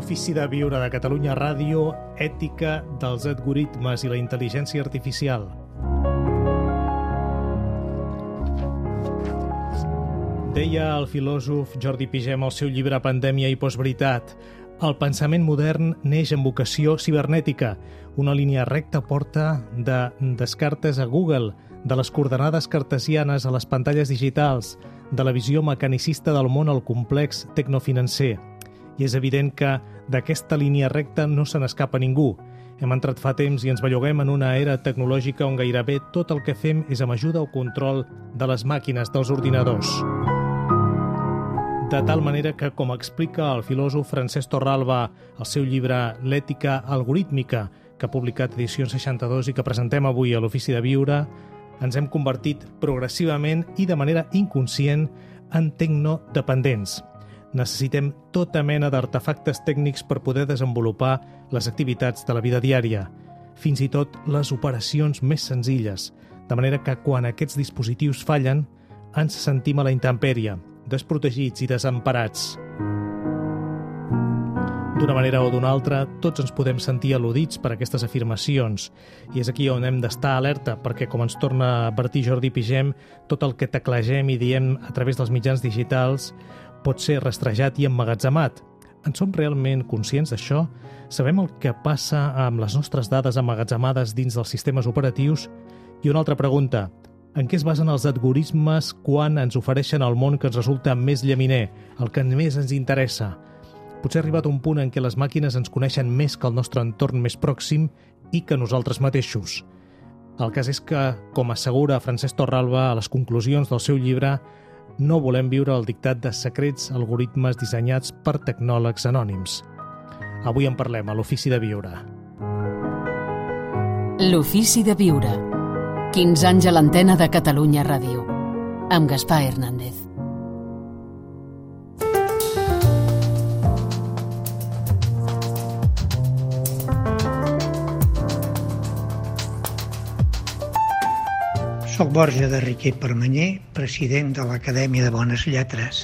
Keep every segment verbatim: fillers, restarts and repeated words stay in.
l'Ofici de Viure de Catalunya Ràdio, ètica dels algoritmes i la intel·ligència artificial. Deia el filòsof Jordi Pigem al seu llibre Pandèmia i postveritat: el pensament modern neix amb vocació cibernètica. Una línia recta porta de Descartes a Google, de les coordenades cartesianes a les pantalles digitals, de la visió mecanicista del món al complex tecnofinancer. I és evident que d'aquesta línia recta no se n'escapa ningú. Hem entrat fa temps i ens belluguem en una era tecnològica on gairebé tot el que fem és amb ajuda o control de les màquines, dels ordinadors. De tal manera que, com explica el filòsof Francesc Torralba al seu llibre L'ètica algorítmica, que ha publicat Edicions seixanta-dos i que presentem avui a l'Ofici de Viure, ens hem convertit progressivament i de manera inconscient en tecnodependents. Necessitem tota mena d'artefactes tècnics per poder desenvolupar les activitats de la vida diària, fins i tot les operacions més senzilles, de manera que quan aquests dispositius fallen, ens sentim a la intempèrie, desprotegits i desemparats. D'una manera o d'una altra, tots ens podem sentir al·ludits per aquestes afirmacions, i és aquí on hem d'estar alerta, perquè, com ens torna a advertir Jordi Pigem, tot el que teclegem i diem a través dels mitjans digitals pot ser rastrejat i emmagatzemat. En som realment conscients d'això? Sabem el que passa amb les nostres dades emmagatzemades dins dels sistemes operatius? I una altra pregunta: en què es basen els algoritmes quan ens ofereixen el món que ens resulta més llaminer, el que més ens interessa? Potser ha arribat un punt en què les màquines ens coneixen més que el nostre entorn més pròxim i que nosaltres mateixos. El cas és que, com assegura Francesc Torralba a les conclusions del seu llibre, no volem viure el dictat de secrets algoritmes dissenyats per tecnòlegs anònims. Avui en parlem a l'Ofici de Viure. L'Ofici de Viure. quinze anys a l'antena de Catalunya Ràdio. Amb Gaspar Hernández. Soc Borja de Riquer Permanyer, president de l'Acadèmia de Bones Lletres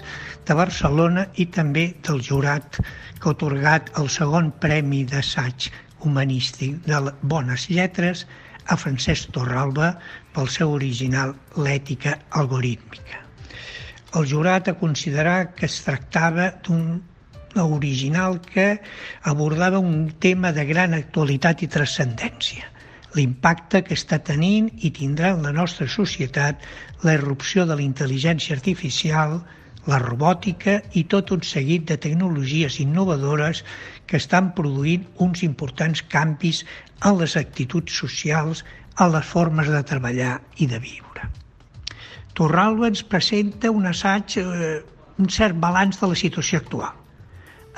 de Barcelona i també del jurat que ha atorgat el segon Premi d'Assaig Humanístic de Bones Lletres a Francesc Torralba pel seu original L'ètica algorítmica. El jurat ha considerat que es tractava d'un original que abordava un tema de gran actualitat i transcendència: l'impacte que està tenint i tindrà en la nostra societat la irrupció de la intel·ligència artificial, la robòtica i tot un seguit de tecnologies innovadores que estan produint uns importants canvis en les actituds socials, en les formes de treballar i de viure. Torralba ens presenta un assaig, eh, un cert balanç de la situació actual.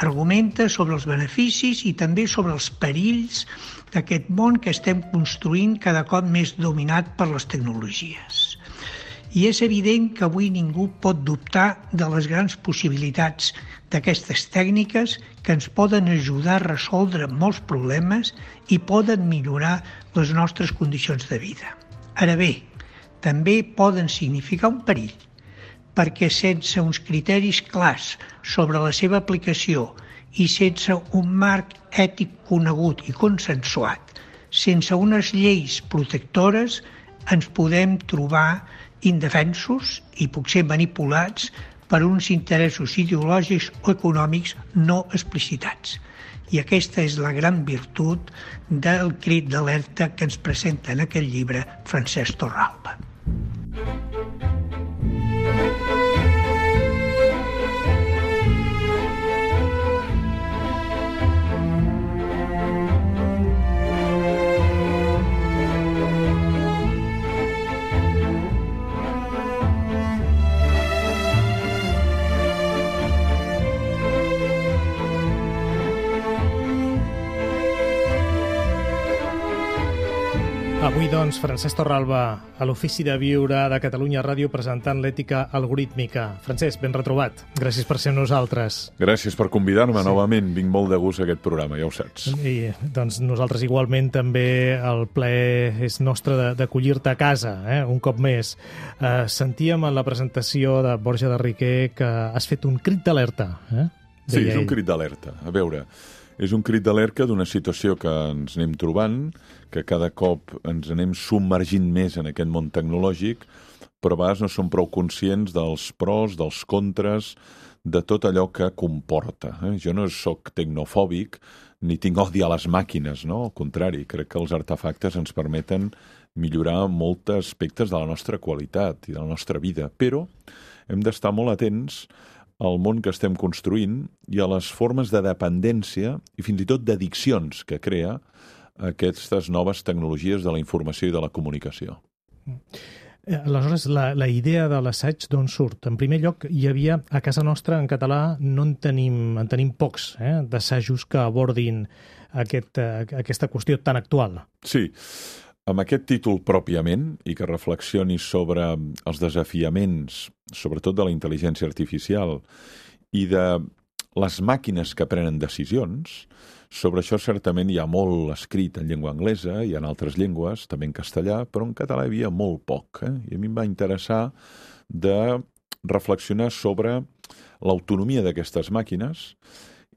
Argumenta sobre els beneficis i també sobre els perills d'aquest món que estem construint cada cop més dominat per les tecnologies. I és evident que avui ningú pot dubtar de les grans possibilitats d'aquestes tècniques que ens poden ajudar a resoldre molts problemes i poden millorar les nostres condicions de vida. Ara bé, també poden significar un perill, perquè sense uns criteris clars sobre la seva aplicació i sense un marc ètic conegut i consensuat, sense unes lleis protectores, ens podem trobar indefensos i potser manipulats per uns interessos ideològics o econòmics no explicitats. I aquesta és la gran virtut del crit d'alerta que ens presenta en aquest llibre Francesc Torralba. Avui, doncs, Francesc Torralba, a l'Ofici de Viure de Catalunya Ràdio, presentant l'ètica algorítmica. Francesc, ben retrobat. Gràcies per ser amb nosaltres. Gràcies per convidar-me sí. novament. Vinc molt de gust a aquest programa, ja ho saps. I, doncs, nosaltres igualment també el plaer és nostre d'acollir-te a casa, eh? un cop més. Eh, sentíem en la presentació de Borja de Riquer que has fet un crit d'alerta, eh? deia Sí, és un ell. crit d'alerta. A veure, és un crit d'alerta d'una situació que ens anem trobant, que cada cop ens anem submergint més en aquest món tecnològic, però a vegades no som prou conscients dels pros, dels contres, de tot allò que comporta. Eh? Jo no sóc tecnofòbic, ni tinc odi a les màquines, no? Al contrari, crec que els artefactes ens permeten millorar molts aspectes de la nostra qualitat i de la nostra vida, però hem d'estar molt atents al món que estem construint i a les formes de dependència i fins i tot d'addiccions que crea aquestes noves tecnologies de la informació i de la comunicació. Aleshores, la, la idea de l'assaig d'on surt? En primer lloc, hi havia, a casa nostra, en català, no en tenim, en tenim pocs, eh, d'assajos que abordin aquest, eh, aquesta qüestió tan actual. Sí, amb aquest títol pròpiament i que reflexioni sobre els desafiaments, sobretot de la intel·ligència artificial i de les màquines que prenen decisions, sobre això certament hi ha molt escrit en llengua anglesa i en altres llengües, també en castellà, però en català hi havia molt poc. Eh? I a mi em va interessar de reflexionar sobre l'autonomia d'aquestes màquines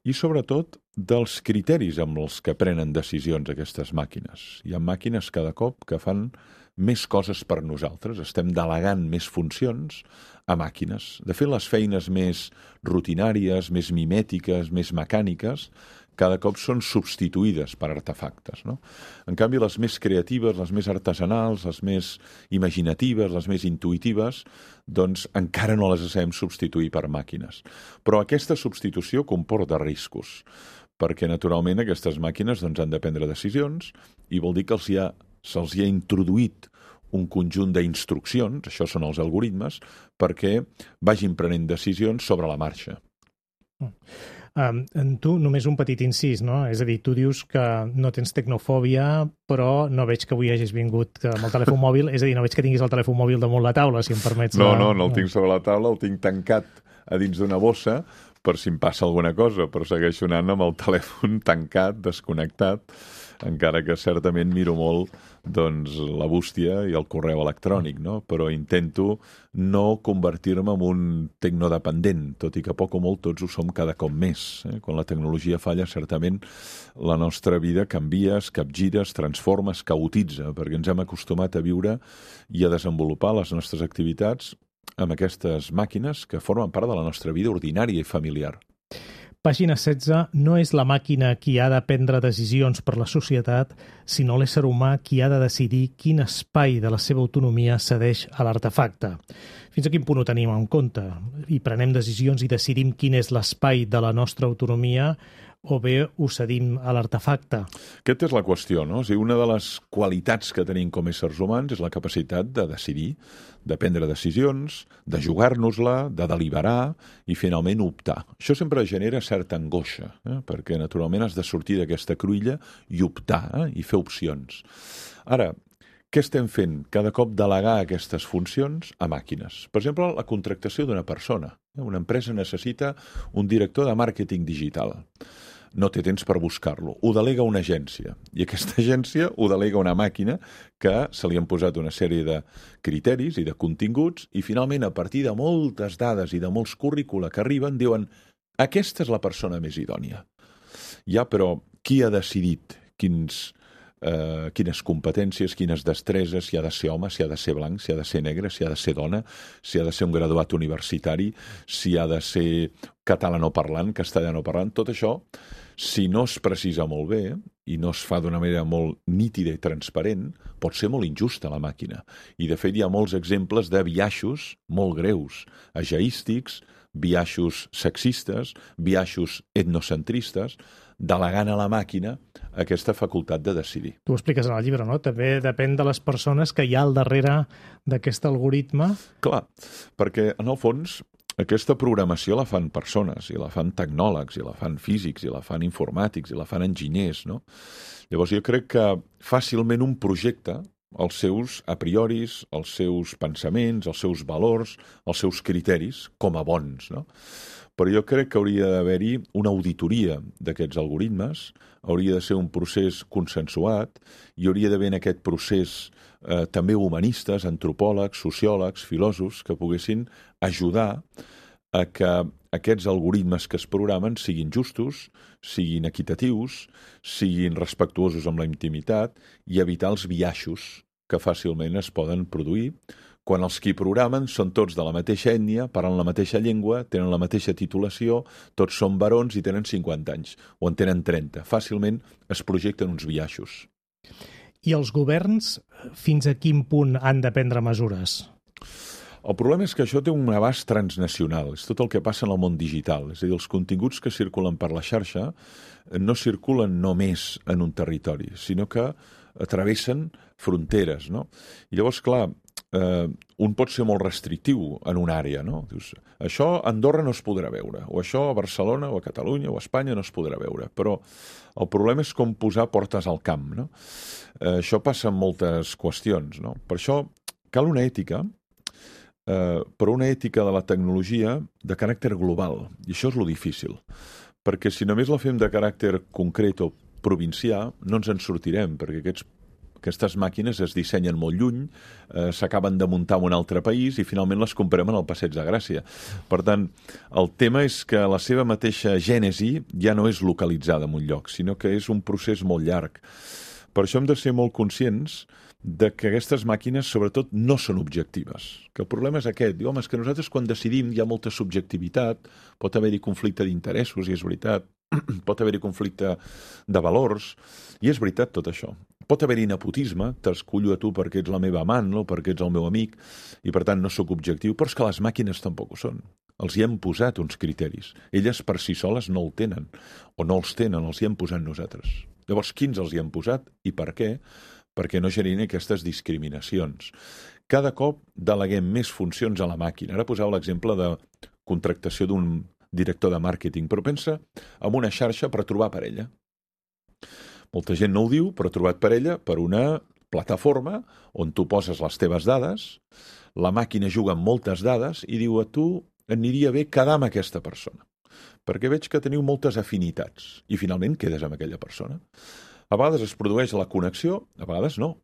i sobretot dels criteris amb els que prenen decisions aquestes màquines. Hi ha màquines cada cop que fan més coses per nosaltres, estem delegant més funcions a màquines. De fet, les feines més rutinàries, més mimètiques, més mecàniques, cada cop són substituïdes per artefactes, no? En canvi, les més creatives, les més artesanals, les més imaginatives, les més intuïtives, doncs encara no les sabem substituir per màquines. Però aquesta substitució comporta riscos, perquè naturalment aquestes màquines doncs, han de prendre decisions i vol dir que els hi ha, se'ls hi ha introduït un conjunt d'instruccions, això són els algoritmes, perquè vagin prenent decisions sobre la marxa. Mm. Um, tu, només un petit incís, no? És a dir, tu dius que no tens tecnofòbia, però no veig que avui hagis vingut amb el telèfon mòbil, és a dir, no veig que tinguis el telèfon mòbil damunt la taula, si em permets. No, la... no, no el tinc sobre la taula, el tinc tancat a dins d'una bossa per si em passa alguna cosa, però segueixo anant amb el telèfon tancat, desconnectat, encara que certament miro molt doncs, la bústia i el correu electrònic, no? Però intento no convertir-me en un tecnodependent, tot i que poc o molt tots ho som cada cop més. Eh? Quan la tecnologia falla, certament la nostra vida canvia, es capgira, es transforma, es caotitza, perquè ens hem acostumat a viure i a desenvolupar les nostres activitats amb aquestes màquines que formen part de la nostra vida ordinària i familiar. Pàgina setze, no és la màquina qui ha de prendre decisions per la societat, sinó l'ésser humà qui ha de decidir quin espai de la seva autonomia cedeix a l'artefacte. Fins a quin punt ho tenim en compte? I prenem decisions i decidim quin és l'espai de la nostra autonomia o bé ho cedim a l'artefacte? Aquesta és la qüestió, no? O sigui, una de les qualitats que tenim com a éssers humans és la capacitat de decidir, de prendre decisions, de jugar-nos-la, de deliberar i finalment optar. Això sempre genera certa angoixa, eh? Perquè naturalment has de sortir d'aquesta cruïlla i optar, eh? I fer opcions. Ara, què estem fent? Cada cop delegar aquestes funcions a màquines. Per exemple, la contractació d'una persona. Una empresa necessita un director de màrqueting digital. No té temps per buscar-lo. Ho delega una agència. I aquesta agència ho delega una màquina que se li han posat una sèrie de criteris i de continguts i finalment, a partir de moltes dades i de molts currícula que arriben, diuen aquesta és la persona més idònia. Ja, però qui ha decidit quins... Uh, quines competències, quines destreses, si ha de ser home, si ha de ser blanc, si ha de ser negre, si ha de ser dona, si ha de ser un graduat universitari, si ha de ser catalanoparlant, castellanoparlant, tot això, si no es precisa molt bé i no es fa d'una manera molt nítida i transparent, pot ser molt injusta la màquina. I de fet hi ha molts exemples de biaixos molt greus, ageístics, biaixos sexistes, biaixos etnocentristes, delegant a la màquina aquesta facultat de decidir. Tu ho expliques en el llibre, no? També depèn de les persones que hi ha al darrere d'aquest algoritme. Clar, perquè en el fons aquesta programació la fan persones, i la fan tecnòlegs, i la fan físics, i la fan informàtics, i la fan enginyers, no? Llavors jo crec que fàcilment un projecte, els seus a prioris, els seus pensaments, els seus valors, els seus criteris, com a bons, no? Però jo crec que hauria d'haver-hi una auditoria d'aquests algoritmes, hauria de ser un procés consensuat i hauria d'haver en aquest procés eh, també humanistes, antropòlegs, sociòlegs, filòsofs, que poguessin ajudar a que aquests algoritmes que es programen siguin justos, siguin equitatius, siguin respectuosos amb la intimitat i evitar els biaixos que fàcilment es poden produir quan els qui programen són tots de la mateixa ètnia, parlen la mateixa llengua, tenen la mateixa titulació, tots són barons i tenen cinquanta anys, o en tenen trenta. Fàcilment es projecten uns biaixos. I els governs, fins a quin punt han de prendre mesures? El problema és que això té un abast transnacional, és tot el que passa en el món digital. És a dir, els continguts que circulen per la xarxa no circulen només en un territori, sinó que travessen fronteres, no? I llavors, clar, eh, un pot ser molt restrictiu en una àrea, no? Dius, això a Andorra no es podrà veure, o això a Barcelona, o a Catalunya, o a Espanya no es podrà veure, però el problema és com posar portes al camp, no? Eh, això passa en moltes qüestions, no? Per això cal una ètica, eh, però una ètica de la tecnologia de caràcter global, i això és lo difícil, perquè si només la fem de caràcter concret o provincià, no ens en sortirem, perquè aquests, aquestes màquines es dissenyen molt lluny, eh, s'acaben de muntar en un altre país i finalment les comprem en el Passeig de Gràcia. Per tant, el tema és que la seva mateixa gènesi ja no és localitzada en un lloc, sinó que és un procés molt llarg. Per això hem de ser molt conscients de que aquestes màquines, sobretot, no són objectives. Que el problema és aquest. Diu, home, és que nosaltres quan decidim hi ha molta subjectivitat, pot haver-hi conflicte d'interessos, i és veritat, pot haver-hi conflicte de valors, i és veritat tot això. Pot haver-hi nepotisme, t'escullo a tu perquè ets la meva amant, no? Perquè ets el meu amic, i per tant no sóc objectiu, però és que les màquines tampoc ho són. Els hi hem posat uns criteris. Elles per si soles no el tenen, o no els tenen, els hi hem posat nosaltres. Llavors, quins els hi hem posat i per què? Perquè no generin aquestes discriminacions. Cada cop deleguem més funcions a la màquina. Ara posava l'exemple de contractació d'un director de màrqueting, però pensa en una xarxa per trobar parella. Molta gent no ho diu, però ha trobat parella per una plataforma on tu poses les teves dades, la màquina juga amb moltes dades i diu a tu aniria bé quedar amb aquesta persona, perquè veig que teniu moltes afinitats i finalment quedes amb aquella persona. A vegades es produeix la connexió, a vegades no.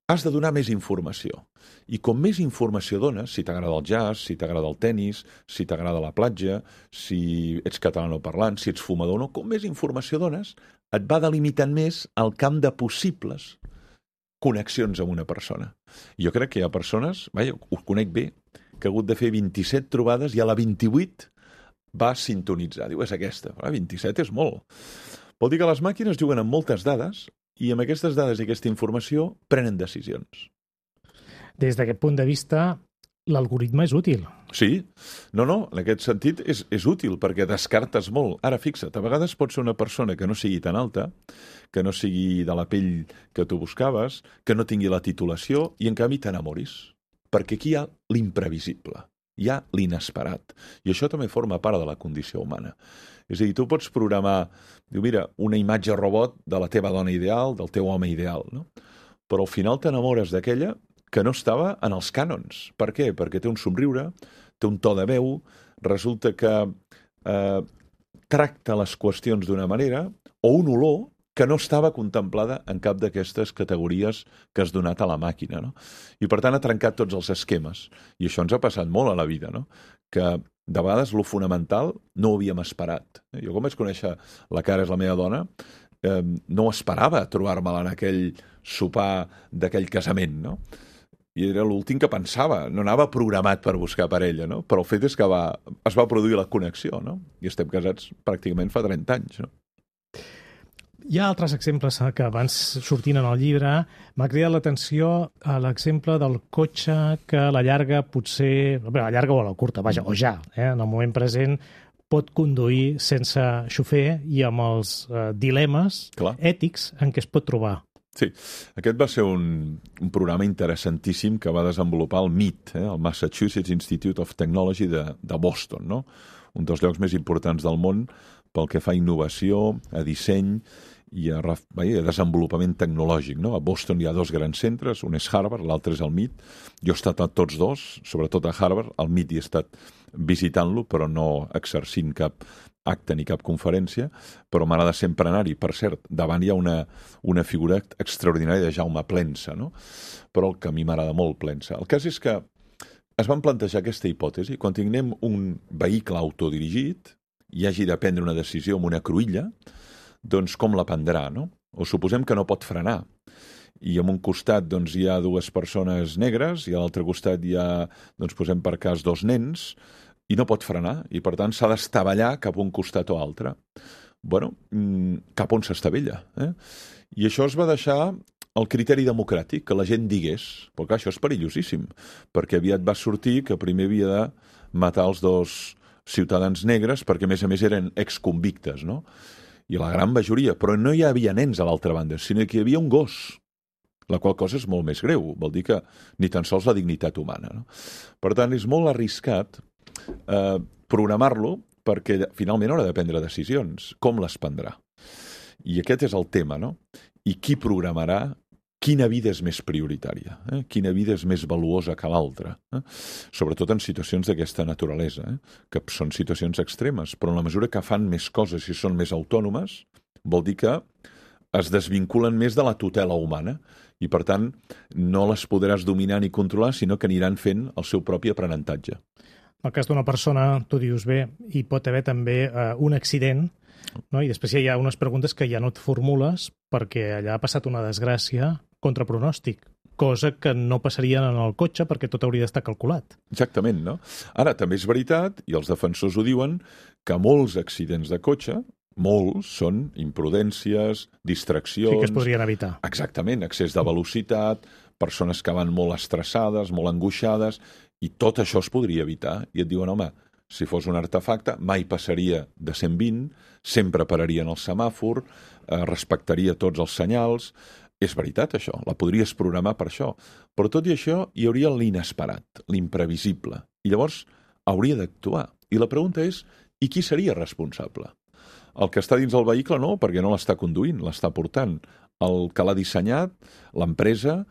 Has de donar més informació. I com més informació dones, si t'agrada el jazz, si t'agrada el tennis, si t'agrada la platja, si ets catalanoparlant, si ets fumador o no, com més informació dones, et va delimitant més el camp de possibles connexions amb una persona. I jo crec que hi ha persones, vaja, ho conec bé, que ha hagut de fer vint-i-set trobades i a la vint-i-vuit va sintonitzar. Diu, és aquesta. Ah, vint-i-set és molt. Vol dir que les màquines juguen amb moltes dades i amb aquestes dades i aquesta informació prenen decisions. Des d'aquest punt de vista, l'algoritme és útil. Sí. No, no, en aquest sentit és, és útil perquè descartes molt. Ara, fixa't, a vegades pot ser una persona que no sigui tan alta, que no sigui de la pell que tu buscaves, que no tingui la titulació i en canvi t'enamoris. Perquè aquí hi ha l'imprevisible, hi ha l'inesperat. I això també forma part de la condició humana. És a dir, tu pots programar, diu, mira, una imatge robot de la teva dona ideal, del teu home ideal, no? Però al final t'enamores d'aquella que no estava en els cànons. Per què? Perquè té un somriure, té un to de veu, resulta que eh, tracta les qüestions d'una manera, o un olor que no estava contemplada en cap d'aquestes categories que has donat a la màquina, no? I per tant ha trencat tots els esquemes. I això ens ha passat molt a la vida, no? Que de vegades lo fonamental no ho havíem esperat. Jo com vaig conèixer la Cara, és la meva dona, eh, no esperava trobar-me-la en aquell sopar d'aquell casament, no? I era l'últim que pensava, no anava programat per buscar parella, no? Però el fet és que va, es va produir la connexió, no? I estem casats pràcticament fa trenta anys, no? Hi ha altres exemples que abans sortint en el llibre. M'ha cridat l'atenció a l'exemple del cotxe que a la llarga potser, a la llarga o a la curta, vaja, o ja, eh, en el moment present, pot conduir sense xofer i amb els eh, dilemes Clar. ètics en què es pot trobar. Sí, aquest va ser un, un programa interessantíssim que va desenvolupar el M I T, eh, el Massachusetts Institute of Technology de, de Boston, no? Un dels llocs més importants del món pel que fa a innovació, a disseny i a, a desenvolupament tecnològic, no? A Boston hi ha dos grans centres, un és Harvard, l'altre és el M I T. Jo he estat a tots dos, sobretot a Harvard, al M I T hi he estat visitant-lo, però no exercint cap acte ni cap conferència, però m'agrada sempre anar-hi. Per cert, davant hi ha una, una figura extraordinària de Jaume Plensa, no? Però el que a mi m'agrada molt Plensa. El cas és que es van plantejar aquesta hipòtesi. Quan tinguem un vehicle autodirigit i hagi de prendre una decisió amb una cruïlla, doncs com la prendrà, no? O suposem que no pot frenar. I en un costat doncs, hi ha dues persones negres i a l'altre costat hi ha, doncs, posem per cas, dos nens i no pot frenar i, per tant, s'ha d'estavellar cap a un costat o altre. Bueno, cap on s'estavella. Eh? I això es va deixar el criteri democràtic, que la gent digués, però clar, això és perillosíssim, perquè aviat va sortir que primer havia de matar els dos ciutadans negres perquè, a més a més, eren exconvictes, no? I la gran majoria, però no hi havia nens a l'altra banda, sinó que hi havia un gos, la qual cosa és molt més greu, vol dir que ni tan sols la dignitat humana. No? Per tant, és molt arriscat eh, programar-lo perquè finalment haurà de prendre decisions. Com les prendrà? I aquest és el tema, no? I qui programarà quina vida és més prioritària, eh? Quina vida és més valuosa que l'altra, eh? Sobretot en situacions d'aquesta naturalesa, eh? Que són situacions extremes, però en la mesura que fan més coses i són més autònomes, vol dir que es desvinculen més de la tutela humana i, per tant, no les podràs dominar ni controlar, sinó que aniran fent el seu propi aprenentatge. En el cas d'una persona, tu dius bé, hi pot haver també eh, un accident, no? I després hi ha unes preguntes que ja no et formules perquè allà ha passat una desgràcia contra pronòstic, cosa que no passaria en el cotxe perquè tot hauria d'estar calculat. Exactament, no? Ara, també és veritat, i els defensors ho diuen, que molts accidents de cotxe, molts, són imprudències, distraccions... Sí que es podrien evitar. Exactament, excés de velocitat, persones que van molt estressades, molt angoixades, i tot això es podria evitar. I et diuen, home, si fos un artefacte, mai passaria de cent vint, sempre pararien el semàfor, eh, respectaria tots els senyals. És veritat, això, la podries programar per això. Però tot i això, hi hauria l'inesperat, l'imprevisible. I llavors hauria d'actuar. I la pregunta és, i qui seria responsable? El que està dins el vehicle no, perquè no l'està conduint, l'està portant. El que l'ha dissenyat, l'empresa,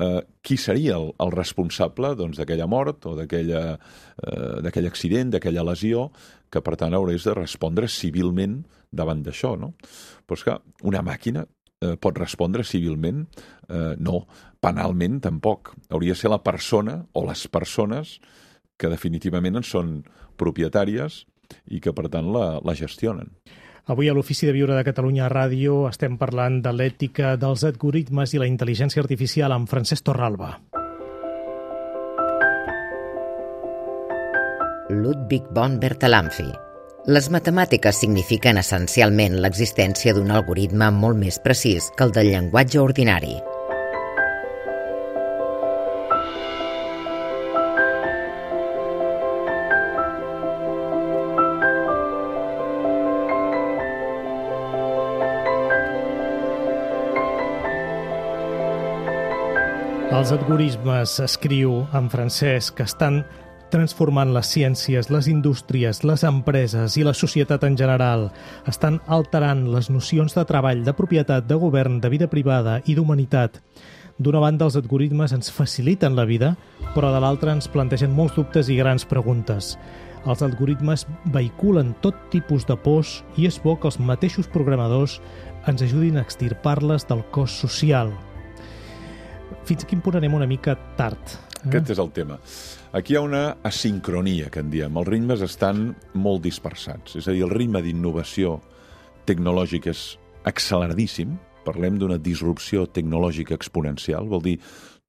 eh, qui seria el, el responsable doncs, d'aquella mort o d'aquella, eh, d'aquell accident, d'aquella lesió, que per tant haurés de respondre civilment davant d'això, no? Però és que una màquina eh, pot respondre civilment? Eh, no, penalment tampoc. Hauria de ser la persona o les persones que definitivament en són propietàries i que per tant la, la gestionen. Avui a l'Ofici de Viure de Catalunya Ràdio estem parlant de l'ètica dels algoritmes i la intel·ligència artificial amb Francesc Torralba. Ludwig von Bertalanffy. Les matemàtiques signifiquen essencialment l'existència d'un algoritme molt més precís que el del llenguatge ordinari. Els algoritmes, escriu en Francesc, que estan transformant les ciències, les indústries, les empreses i la societat en general. Estan alterant les nocions de treball, de propietat, de govern, de vida privada i d'humanitat. D'una banda, els algoritmes ens faciliten la vida, però de l'altra ens plantegen molts dubtes i grans preguntes. Els algoritmes vehiculen tot tipus de pors i és bo que els mateixos programadors ens ajudin a extirpar-les del cos social. Fins a quin punt anem una mica tard? Eh? Aquest és el tema. Aquí hi ha una asincronia, que en diem. Els ritmes estan molt dispersats. És a dir, el ritme d'innovació tecnològica és acceleradíssim. Parlem d'una disrupció tecnològica exponencial. Vol dir,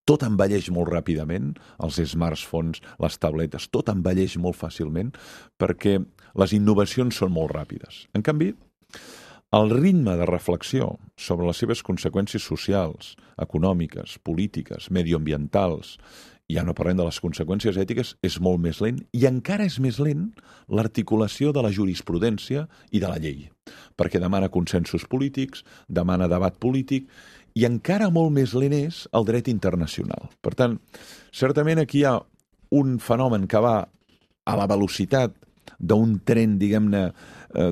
tot envelleix molt ràpidament. Els smartphones, les tabletes, tot envelleix molt fàcilment perquè les innovacions són molt ràpides. En canvi, el ritme de reflexió sobre les seves conseqüències socials, econòmiques, polítiques, medioambientals, ja no parlem de les conseqüències ètiques, és molt més lent i encara és més lent l'articulació de la jurisprudència i de la llei, perquè demana consensos polítics, demana debat polític i encara molt més lent és el dret internacional. Per tant, certament aquí hi ha un fenomen que va a la velocitat d'un tren, diguem-ne,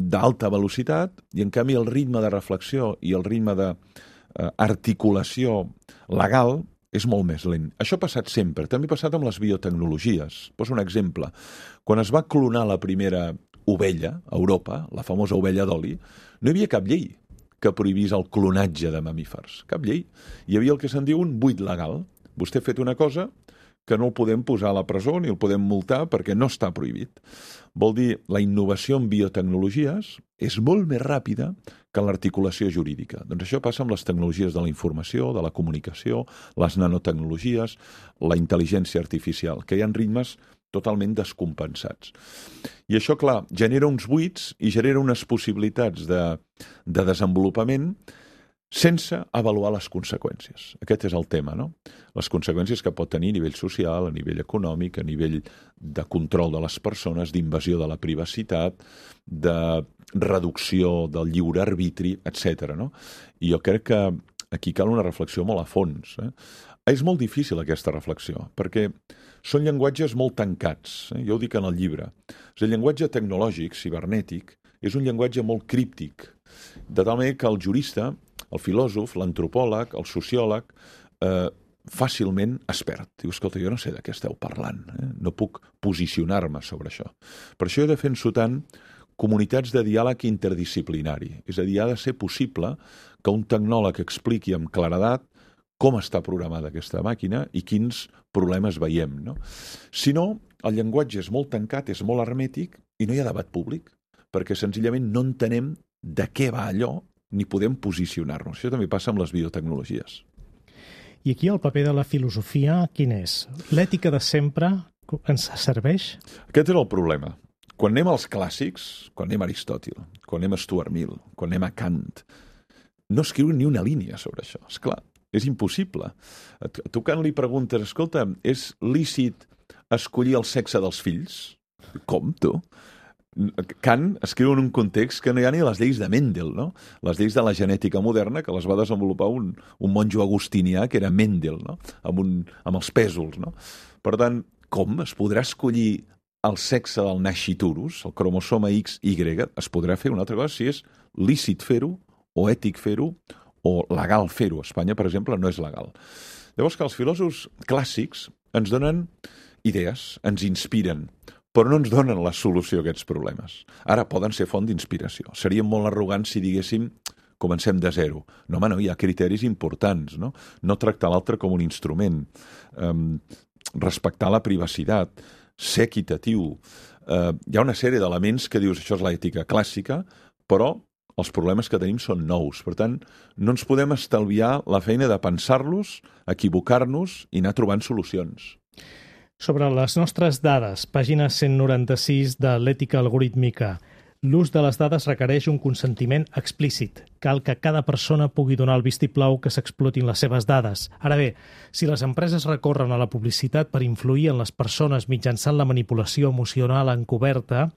d'alta velocitat, i en canvi el ritme de reflexió i el ritme d'articulació legal és molt més lent. Això ha passat sempre, també ha passat amb les biotecnologies. Poso un exemple. Quan es va clonar la primera ovella a Europa, la famosa ovella d'oli, no hi havia cap llei que prohibís el clonatge de mamífers. Cap llei. Hi havia el que se'n diu un buit legal. Vostè ha fet una cosa que no el podem posar a la presó ni el podem multar perquè no està prohibit. Vol dir, la innovació en biotecnologies és molt més ràpida que l'articulació jurídica. Doncs això passa amb les tecnologies de la informació, de la comunicació, les nanotecnologies, la intel·ligència artificial, que hi ha ritmes totalment descompensats. I això, clar, genera uns buits i genera unes possibilitats de, de desenvolupament sense avaluar les conseqüències. Aquest és el tema, no? Les conseqüències que pot tenir a nivell social, a nivell econòmic, a nivell de control de les persones, d'invasió de la privacitat, de reducció del lliure arbitri, etcètera. No? I jo crec que aquí cal una reflexió molt a fons. Eh? És molt difícil aquesta reflexió, perquè són llenguatges molt tancats. Eh? Jo ho dic en el llibre. El llenguatge tecnològic, cibernètic, és un llenguatge molt críptic, de tal manera que el jurista, el filòsof, l'antropòleg, el sociòleg, eh, fàcilment es perd. Diu, escolta, jo no sé de què esteu parlant, eh? No puc posicionar-me sobre això. Per això jo defenso tant comunitats de diàleg interdisciplinari. És a dir, ha de ser possible que un tecnòleg expliqui amb claredat com està programada aquesta màquina i quins problemes veiem. No? Si no, el llenguatge és molt tancat, és molt hermètic i no hi ha debat públic, perquè senzillament no entenem de què va allò ni podem posicionar-nos. Això també passa amb les biotecnologies. I aquí el paper de la filosofia, quin és? L'ètica de sempre ens serveix? Aquest és el problema. Quan anem als clàssics, quan anem a Aristòtil, quan anem a Stuart Mill, quan anem a Kant, no escriuen ni una línia sobre això. És clar, és impossible. A tu Kant li preguntes, escolta, és lícit escollir el sexe dels fills? Com, tu? Kant escriu en un context que no hi ha ni les lleis de Mendel, no? Les lleis de la genètica moderna, que les va desenvolupar un, un monjo agustinià, que era Mendel, no? Amb, un, amb els pèsols, no? Per tant, com es podrà escollir el sexe del nasciturus, el cromosoma X Y? Es podrà fer una altra cosa si és lícit fer-ho, o ètic fer-ho, o legal fer-ho. A Espanya, per exemple, no és legal. Llavors que els filòsofs clàssics ens donen idees, ens inspiren, però no ens donen la solució a aquests problemes. Ara poden ser font d'inspiració. Seríem molt arrogants si diguéssim comencem de zero. No, home, no, hi ha criteris importants, no? No tractar l'altre com un instrument, um, respectar la privacitat, ser equitatiu. Uh, hi ha una sèrie d'elements que dius això és l'ètica clàssica, però els problemes que tenim són nous. Per tant, no ens podem estalviar la feina de pensar-los, equivocar-nos i anar trobant solucions. Sobre les nostres dades, pàgina cent noranta-sis de l'ètica algorítmica. L'ús de les dades requereix un consentiment explícit. Cal que cada persona pugui donar el vistiplau que s'explotin les seves dades. Ara bé, si les empreses recorren a la publicitat per influir en les persones mitjançant la manipulació emocional encoberta,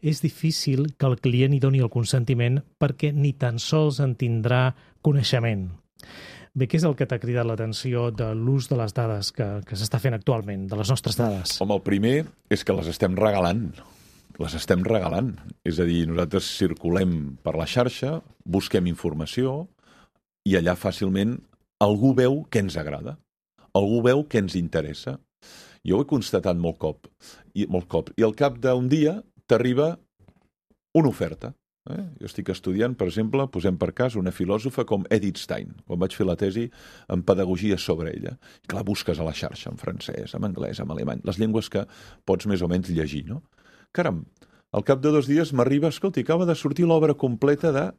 és difícil que el client hi doni el consentiment perquè ni tan sols en tindrà coneixement. Bé, què és el que t'ha cridat l'atenció de l'ús de les dades que, que s'està fent actualment, de les nostres dades? Home, el primer és que les estem regalant. Les estem regalant. És a dir, nosaltres circulem per la xarxa, busquem informació i allà fàcilment algú veu què ens agrada. Algú veu què ens interessa. Jo ho he constatat molt cop. I, molt cop. I al cap d'un dia t'arriba una oferta. Eh? Jo estic estudiant, per exemple, posem per cas una filòsofa com Edith Stein, quan vaig fer la tesi en pedagogia sobre ella. I clar, busques a la xarxa en francès, en anglès, en alemany, les llengües que pots més o menys llegir, no? Caram, al cap de dos dies m'arriba, escolta, acaba de sortir l'obra completa de...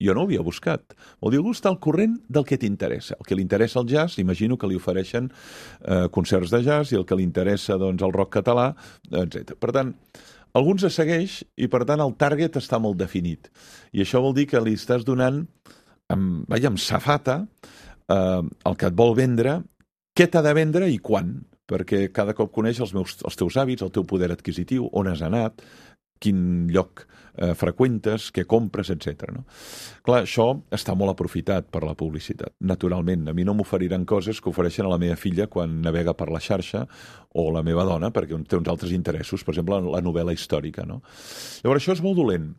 Jo no ho havia buscat. Vol dir, algú està al corrent del que t'interessa. El que li interessa el jazz, imagino que li ofereixen eh, concerts de jazz, i el que li interessa, doncs, el rock català, etcètera. Per tant, alguns es segueix i, per tant, el target està molt definit. I això vol dir que li estàs donant, amb, vaja, amb safata, eh, el que et vol vendre, què t'ha de vendre i quan. Perquè cada cop coneix els, meus, els teus hàbits, el teu poder adquisitiu, on has anat, quin lloc eh, freqüentes, què compres, etcètera. No? Clar, això està molt aprofitat per la publicitat. Naturalment, a mi no m'oferiran coses que ofereixen a la meva filla quan navega per la xarxa o la meva dona, perquè té uns altres interessos, per exemple, la novel·la històrica. No? Llavors, això és molt dolent.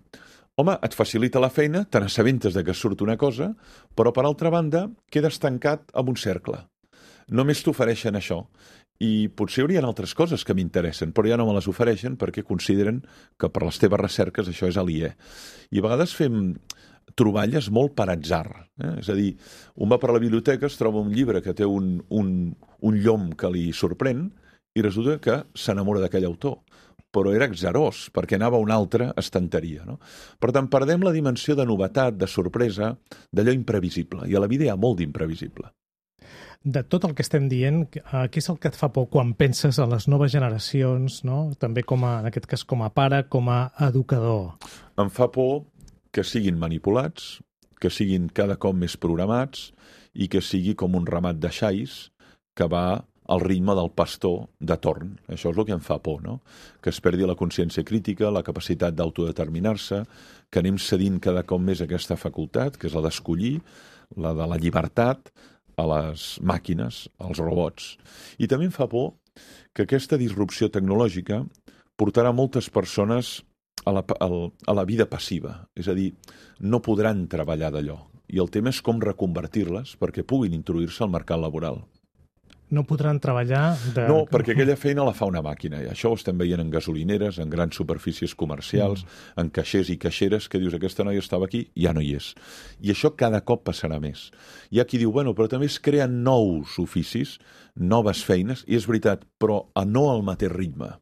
Home, et facilita la feina, te n'assabentes de que surt una cosa, però, per altra banda, quedes tancat en un cercle. Només t'ofereixen això. I potser hi haurien altres coses que m'interessen, però ja no me les ofereixen perquè consideren que per les teves recerques això és aliè. I a vegades fem troballes molt per atzar. Eh? És a dir, un va per la biblioteca, es troba un llibre que té un, un, un llom que li sorprèn i resulta que s'enamora d'aquell autor, però era exerós, perquè anava a una altra estanteria. No? Per tant, perdem la dimensió de novetat, de sorpresa, d'allò imprevisible, i a la vida hi ha molt d'imprevisible. De tot el que estem dient, què és el que et fa por quan penses en les noves generacions, no? També com a, en aquest cas com a pare, com a educador? Em fa por que siguin manipulats, que siguin cada cop més programats i que sigui com un ramat de xais que va al ritme del pastor de torn. Això és el que em fa por, no? Que es perdi la consciència crítica, la capacitat d'autodeterminar-se, que anem cedint cada cop més aquesta facultat, que és la d'escollir, la de la llibertat, a les màquines, als robots. I també em fa por que aquesta disrupció tecnològica portarà moltes persones a la, a la vida passiva. És a dir, no podran treballar d'allò. I el tema és com reconvertir-les perquè puguin introduir-se al mercat laboral. No podran treballar... De... No, perquè aquella feina la fa una màquina. I això ho estem veient en gasolineres, en grans superfícies comercials, mm. en caixers i caixeres, que dius, aquesta noia estava aquí, ja no hi és. I això cada cop passarà més. Hi ha qui diu, bueno, però també es creen nous oficis, noves feines, i és veritat, però a no al mateix ritme.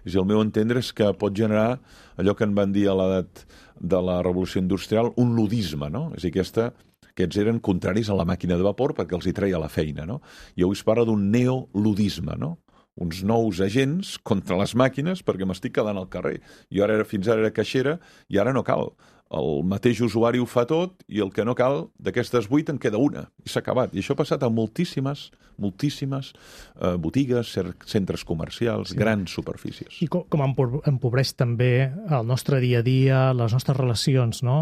És a dir, el meu entendre és que pot generar allò que en van dir a l'edat de la revolució industrial, un ludisme, no? És a dir, aquesta... Aquests eren contraris a la màquina de vapor perquè els hi treia la feina, no? I avui es parla d'un neoludisme, no? Uns nous agents contra les màquines perquè m'estic quedant al carrer. Jo ara era, fins ara era caixera i ara no cal. El mateix usuari ho fa tot i el que no cal, d'aquestes vuit en queda una. I s'ha acabat. I això ha passat a moltíssimes, moltíssimes eh, botigues, centres comercials, sí. grans superfícies. I com, com empobreix també el nostre dia a dia, les nostres relacions, no?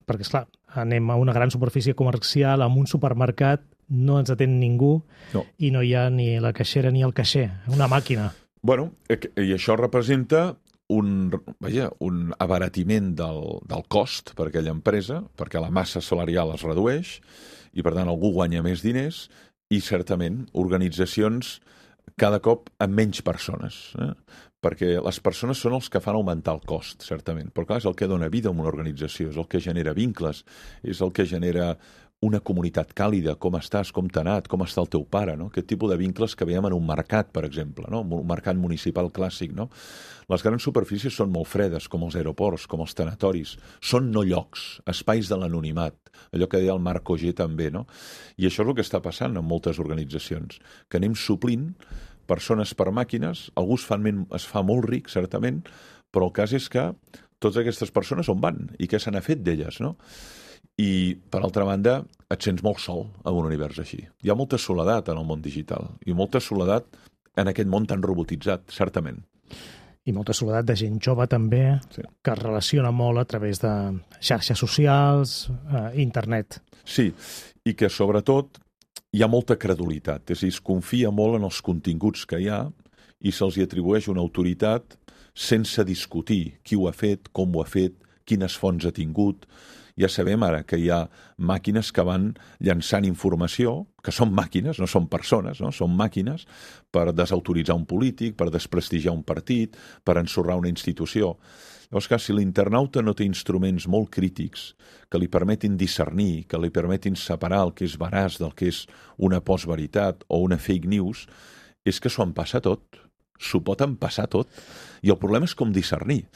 Perquè, esclar, anem a una gran superfície comercial, a un supermercat, no ens atén ningú no. i no hi ha ni la caixera ni el caixer, una màquina. Bueno, i això representa un, vaja, un abaratiment del, del cost per a aquella empresa, perquè la massa salarial es redueix i, per tant, algú guanya més diners i, certament, organitzacions cada cop amb menys persones, eh? Perquè les persones són els que fan augmentar el cost, certament. Però, clar, és el que dona vida a una organització, és el que genera vincles, és el que genera una comunitat càlida, com estàs, com t'ha anat, com està el teu pare, no? Aquest tipus de vincles que veiem en un mercat, per exemple, no? Un mercat municipal clàssic, no? Les grans superfícies són molt fredes, com els aeroports, com els tanatoris. Són no llocs, espais de l'anonimat, allò que deia el Marc Auger també, no? I això és el que està passant en moltes organitzacions, que anem suplint persones per màquines, algú es fa, es fa molt ric, certament, però el cas és que totes aquestes persones on van i què se n'ha fet d'elles, no? I, per altra banda, et sents molt sol en un univers així. Hi ha molta soledat en el món digital i molta soledat en aquest món tan robotitzat, certament. I molta soledat de gent jove també, sí. que es relaciona molt a través de xarxes socials, eh, internet. Sí, i que sobretot hi ha molta credulitat, és a dir, es confia molt en els continguts que hi ha i se'ls hi atribueix una autoritat sense discutir qui ho ha fet, com ho ha fet, quines fonts ha tingut. Ja sabem ara que hi ha màquines que van llançant informació, que són màquines, no són persones, no? Són màquines per desautoritzar un polític, per desprestigiar un partit, per ensorrar una institució. Llavors, clar, si l'internauta no té instruments molt crítics que li permetin discernir, que li permetin separar el que és veraç del que és una postveritat o una fake news, és que s'ho empassa tot. S'ho pot empassar tot. I el problema és com discernir,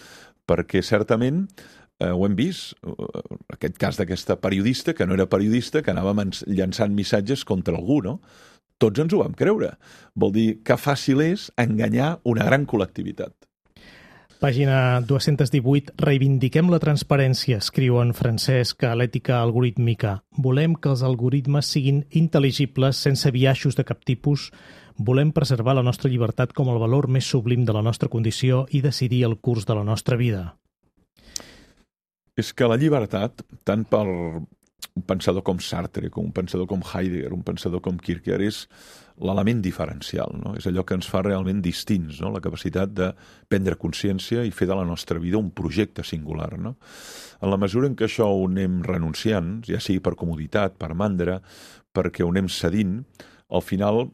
perquè certament eh, ho hem vist, aquest cas d'aquesta periodista, que no era periodista, que anava llançant missatges contra algú, no? Tots ens ho vam creure. Vol dir que fàcil és enganyar una gran col·lectivitat. Pàgina dos-cents divuit. Reivindiquem la transparència, escriu en Francesc a l'ètica algorítmica. Volem que els algoritmes siguin intel·ligibles sense biaixos de cap tipus. Volem preservar la nostra llibertat com el valor més sublim de la nostra condició i decidir el curs de la nostra vida. És que la llibertat, tant per un pensador com Sartre, com un pensador com Heidegger, un pensador com Kierkegaard, és l'element diferencial, no? És allò que ens fa realment distints, no? La capacitat de prendre consciència i fer de la nostra vida un projecte singular, no? En la mesura en què això ho anem renunciant, ja sigui per comoditat, per mandra, perquè ho anem cedint, al final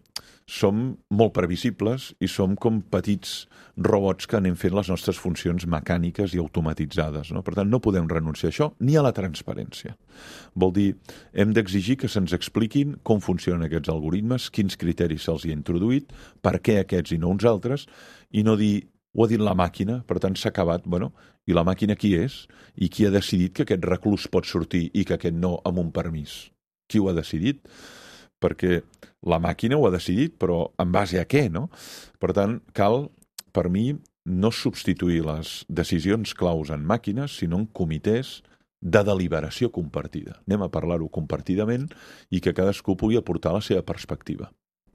som molt previsibles i som com petits robots que anem fent les nostres funcions mecàniques i automatitzades, no? Per tant, no podem renunciar a això ni a la transparència. Vol dir, hem d'exigir que se'ns expliquin com funcionen aquests algoritmes, quins criteris se'ls hi ha introduït, per què aquests i no uns altres, i no dir, ho ha dit la màquina, per tant s'ha acabat, bueno, i la màquina qui és? I qui ha decidit que aquest reclús pot sortir i que aquest no amb un permís? Qui ho ha decidit? Perquè la màquina ho ha decidit, però en base a què, no? Per tant, cal, per mi, no substituir les decisions claus en màquines, sinó en comitès de deliberació compartida. Anem a parlar-ho compartidament i que cadascú pugui aportar la seva perspectiva.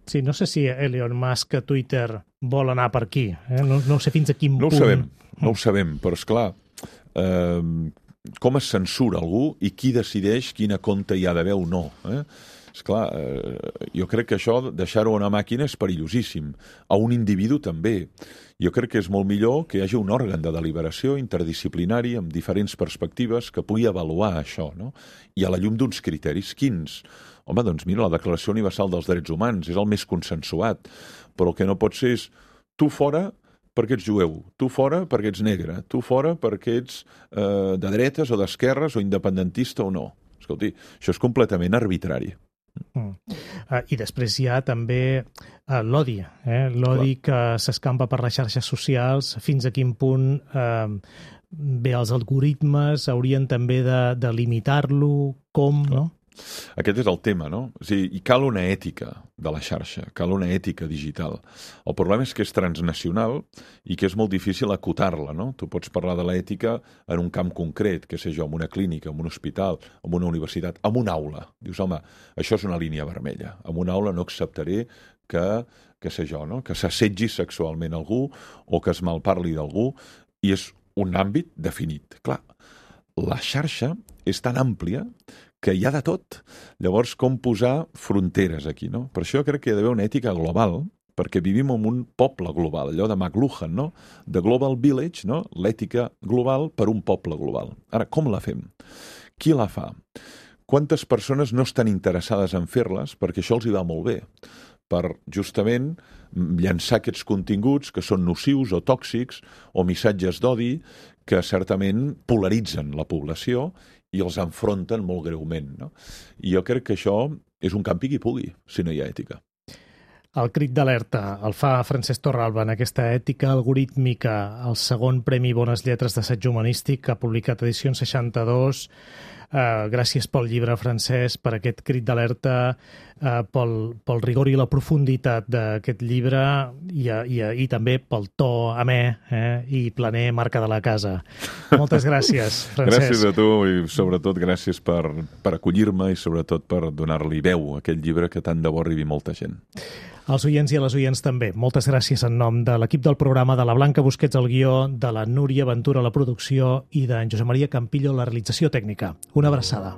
Sí, no sé si Elon Musk a Twitter vol anar per aquí. Eh? No, no sé fins a quin no punt... No ho sabem, no ho sabem, però esclar, eh, com es censura algú i qui decideix quina compte hi ha d'haver o no, eh? Esclar, eh, jo crec que això, deixar-ho a una màquina és perillosíssim. A un individu també. Jo crec que és molt millor que hi hagi un òrgan de deliberació interdisciplinari amb diferents perspectives que pugui avaluar això, no? I a la llum d'uns criteris. Quins? Home, doncs mira, la Declaració Universal dels Drets Humans és el més consensuat, però el que no pot ser és tu fora perquè ets jueu, tu fora perquè ets negre, tu fora perquè ets eh, de dretes o d'esquerres o independentista o no. Escolti, això és completament arbitrari. Mm. Uh, I després hi ha també uh, l'odi, eh? l'odi que s'escampa per les xarxes socials, fins a quin punt uh, bé, els algoritmes haurien també de, de limitar-lo, com, no? Aquest és el tema, no? O sigui, i cal una ètica de la xarxa, cal una ètica digital. El problema és que és transnacional i que és molt difícil acotar-la, no? Tu pots parlar de l'ètica en un camp concret, que sé jo, en una clínica, en un hospital, en una universitat, en una aula. Dius, home, això és una línia vermella. En una aula no acceptaré que, que sé jo, no? Que s'assetgi sexualment algú o que es malparli d'algú, i és un àmbit definit. Clar, la xarxa és tan àmplia que hi ha de tot. Llavors, com posar fronteres aquí, no? Per això crec que hi ha d'haver una ètica global, perquè vivim en un poble global, allò de McLuhan, no? The Global Village, no? L'ètica global per un poble global. Ara, com la fem? Qui la fa? Quantes persones no estan interessades en fer-les perquè això els hi va molt bé? Per, justament, llançar aquests continguts que són nocius o tòxics o missatges d'odi que certament polaritzen la població i els enfronten molt greument, no? I jo crec que això és un campi qui pugui, si no hi ha ètica. El crit d'alerta el fa Francesc Torralba en aquesta ètica algorítmica, el segon Premi Bones Lletres d'assaig humanístic, que ha publicat edició seixanta-dos. Uh, gràcies pel llibre, Francesc, per aquest crit d'alerta, uh, pel, pel rigor i la profunditat d'aquest llibre i, i, i també pel to amè eh, i planer marca de la casa. Moltes gràcies, Francesc. Gràcies a tu i sobretot gràcies per, per acollir-me i sobretot per donar-li veu a aquest llibre que tant de bo arribi molta gent. Als oients i a les oients també. Moltes gràcies en nom de l'equip del programa, de la Blanca Busquets al guió, de la Núria Ventura a la producció i d'en Josep Maria Campillo a la realització tècnica. Una abraçada.